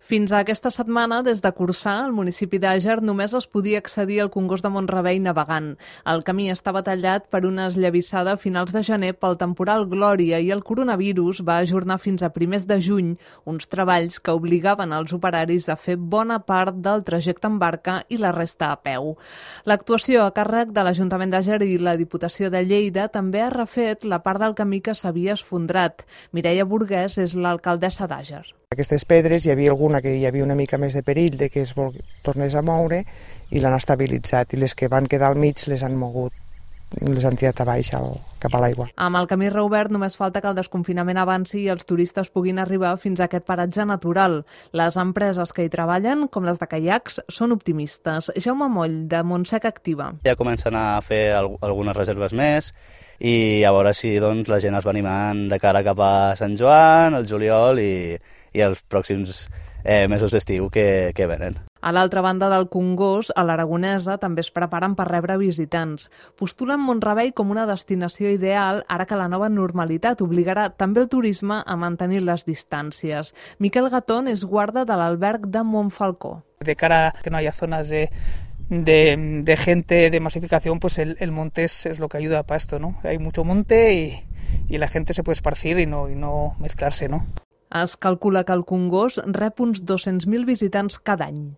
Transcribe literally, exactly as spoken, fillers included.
Fins a aquesta setmana, des de Corçà, al municipi d'Àger, només es podia accedir al Congost de Mont-rebei navegant. El camí estava tallat per una esllavissada a finals de gener pel temporal Glòria i el coronavirus va ajornar fins a primers de juny uns treballs que obligaven els operaris a fer bona part del trajecte en barca i la resta a peu. L'actuació a càrrec de l'Ajuntament d'Àger i la Diputació de Lleida també ha refet la part del camí que s'havia esfondrat. Mireia Burguès és l'alcaldessa d'Àger. Aquestes pedres hi havia alguna que hi havia una mica més de perill de que es vol... tornés a moure i l'han estabilitzat, i les que van quedar al mig les han mogut, les han tirat a baix al... cap a l'aigua. Amb el camí reobert només falta que el desconfinament avanci i els turistes puguin arribar fins a aquest paratge natural. Les empreses que hi treballen, com les de caiacs, són optimistes. Jaume Moll, de Montsec Activa. Ja comencen a fer algunes reserves més i a veure si doncs, la gent es va animant de cara cap a Sant Joan, el juliol i, i els pròxims eh, mesos d'estiu que, que venen. A l'altra banda del Congost, a l'Aragonesa, també es preparen per rebre visitants. Postulen Mont-rebei com una destinació ideal ara que la nova normalitat obligarà també el turisme a mantenir les distàncies. Miquel Gatón és guarda de l'alberg de Montfalcó. De cara a que no haya zonas de... De, de gente, de masificación, pues el, el monte es, es lo que ayuda para esto, ¿no? Hay mucho monte y, y la gente se puede esparcir y no, y no mezclarse, ¿no? Es calcula que el Congost rep uns dos-cents mil visitants cada any.